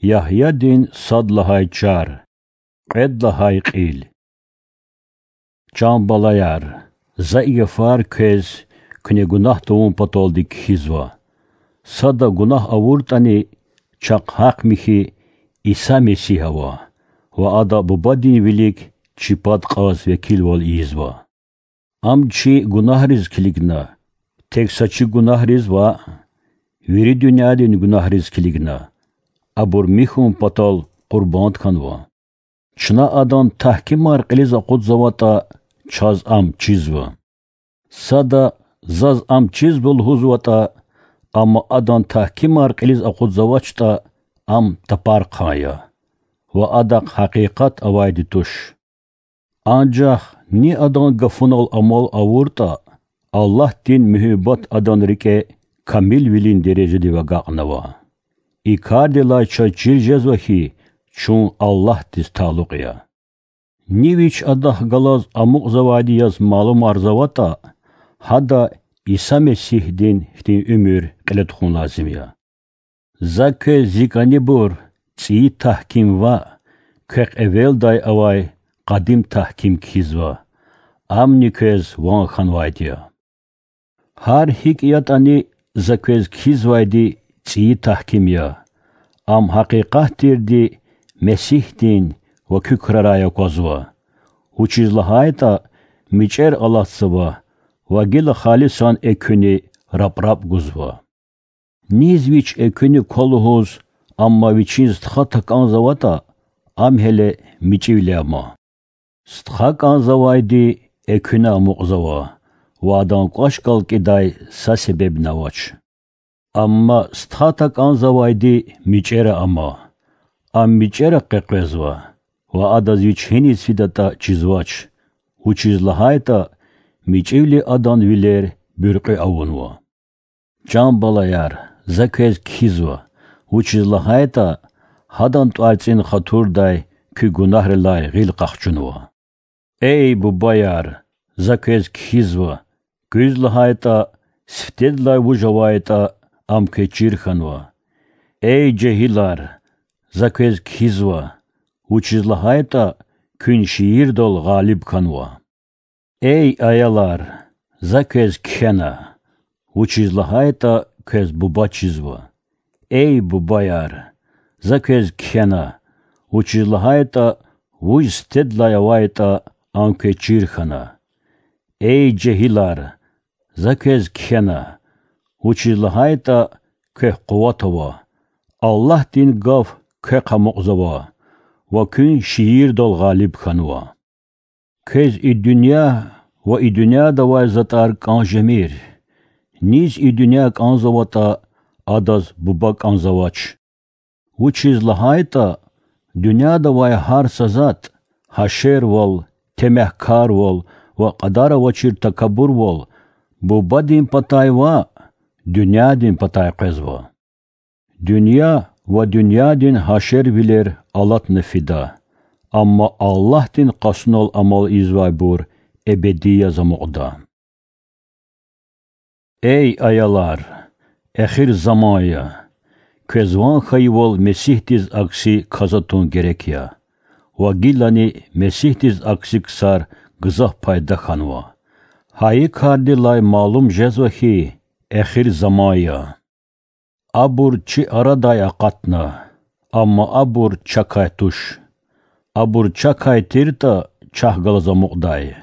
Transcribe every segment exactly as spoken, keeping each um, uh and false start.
Ягьядин сад лагьай чар, кьвед лагьай кьил. Чан балаяр, за и гафар квез куьне гунагь тавун паталди кхьизва. Сада гунагь авуртӀани, чахъ гьахъ михьи Иса Месигь ава ва Ада Бубадин вилик чи пад кьаз векилвал ийизва. Ам чи гунагьриз килигна, тек са чи гунагьриз ваъ, вири дуьньядин гунагьриз килигна, абур михьун патал къурбанд хьанва. Чна Адан тагькимар кьилиз акъудзаватӀа, чаз ам чизва. Сада заз ам чизва лугьузватӀа, амма Адан тагькимар кьилиз акъудзавачтӀа, ам тапархъан я ва адахъ гьакъикъат авайди туш. Анжах ни Адан гафунал амал авуртӀа, Аллагьдин муьгьуьббат адан рикӀе камилвилин дережадив агакьнава. И кардилай чаз чир жезва хьи, чун Аллагьдиз талукь я. Ни вич Адахъ галаз амукьзавайди яз малумарзаватӀа, гьада Иса Месигьдин хьтин уьмуьр кьиле тухун лазим я. За квез зи кӀанибур, цӀийи тагьким ваъ, квехъ эвелдай авай къадим тагьким кхьизва, амни квез ван хьанвайди я. Гьар гьикӀ ятӀани, за квез кхьизвайди цӀийи тагьким я. Ам гьакъикъат тирди Месигьдин ва куь крарай аквазва, вучиз лагьайтӀа мичӀер алатзава ва гила халисан экуьни рапрап гузва. Низ вич экуьни ква лугьуз, амма вичин стха такӀанзаватӀа, ам гьеле мичӀивиле ама. Стха кӀанзавайди экуьна амукьзава ва адан кӀвач галкӀидай са себебни авач. Амма стха такӀанзавайди мичӀера ама. Ам мичӀера къекъвезва ва адаз вич гьиниз фидатӀа чизвач, вучиз лагьайтӀа мичӀивили адан вилер буьркьуь авунва. Чан балаяр, за квез кхьизва, вучиз лагьайтӀа гьадан тӀварцӀин хатурдай куь гунагьрилай гъил къахчунва. Эй бубаяр, за квез кхьизва, куьз лагьайтӀа сифтедилай вуж авайтӀа, ам квез чир хьанва. Эй жегьилар, за квез кхьизва, вучиз лагьайтӀа куьн шиирдал гъалиб хьанва. Эй аялар, за квез кхьена, вучиз лагьайтӀа квез буба чизва. Эй бубаяр, за квез кхьена, вучиз лагьайтӀа вуж сифтедилай авайтӀа, ам квез чир хьана. Эй жегьилар, за квез кхьена, вучиз лагьайтӀа квехъ къуват ава, Аллагьдин гаф квехъ амукьзава ва куьн шиирдал гъалиб хьанва. Квез и дуьнья ва и дуьньяда авай затӀар кӀан жемир. Низ и дуьнья кӀанзаватӀа, адаз буба кӀанзавач. Вучиз лагьайтӀа дуьньяда авай гьар са затӀ, гьашервал, темягькарвал ва кьадар авачир такабурвал бубадин патай ваъ, дуьньядин патай къвезва. Дуьнья ва дуьньядин гьашервилер алатна фида, амма Аллагьдин къасунал амал ийизвайбур эбеди яз амукьда. Эй аялар, эхир заман я. Квез ван хьайивал Месигьдиз акси кас атун герек я. Ва гилани Месигьдиз акси ксар гзаф пайда хьанва. Гьа и кардилай малум жезва хьи, эхир заман я. Абур чи арадай акъатна, амма абур чакай туш. Абур чакай тиртӀа, чахъ галаз амукьдай,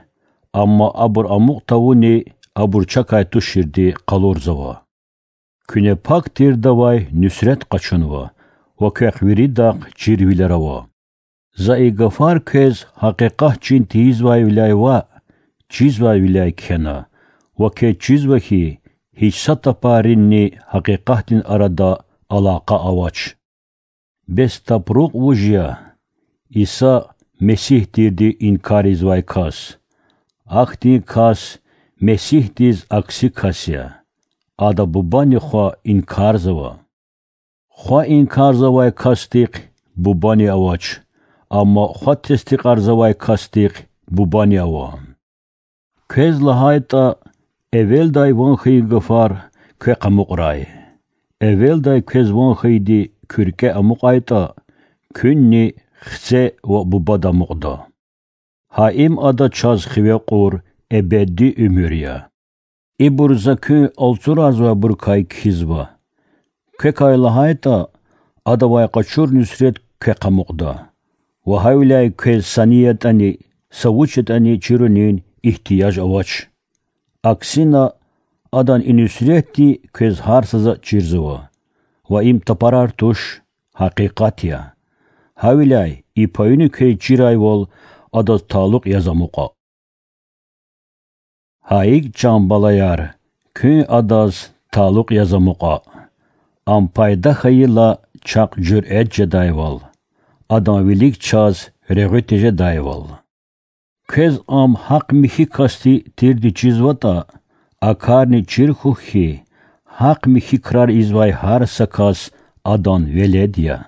амма абур амукь тавуни абур чакай туширди къалурзава. Куьне пак тирдавай нуьсрет къачунва ва квехъ виридахъ чирвилер ава. За и гафар квез гьакъикъат чин тийизвайвиляй ваъ, чизвайвиляй кхьена, ва квез чизва хьи, гьич са тапаринни гьакъикъатдин арада алакъа авач. Бес тапрукь вуж я? Иса Месигь тирди инкар ийизвай кас. Ахьтин кас Месигьдиз акси кас я. Ада Бубани Хва инкарзава. Хва инкарзавай касдихъ Бубани авач, амма Хва тестикьарзавай касдихъ Бубани ава. Квез лагьайтӀа, эвелдай ван хьайи гафар квехъ амукьрай. Эвелдай квез ван хьайиди куьркӀе амукьайтӀа, куьнни хце ва бубада амукьда. Гьа им Ада чаз хиве кьур эбеди уьмуьр я. Ибур За куьн алцурзавайбурукай кхьизва. Квекай лагьайтӀа, Адавай къачур нуьсрет квехъ амукьда. Ва гьавиляй квез са ни ятӀани, са вуч ятӀани чирунин игьтияж авач. Аксина, Адан и нуьсретди квез гьар сада чирзава. Ва им тапарар туш, гьакъикъат я. Гьавиляй и паюни квез чирайвал, Адаз талукь яз амукьа. Гьа икӀ, чан балаяр, куьн Адаз талукь яз амукьа. Ам пайда хьайила чахъ жуьрэт жедайвал, Адан вилик чаз регъуь тежедайвал. Квез Ам гьахъ-михьи касди тирди чизватӀа, а карни чир хьухь хьи, гьахъ-михьи крар ийизвай гьар са кас Адан велед я.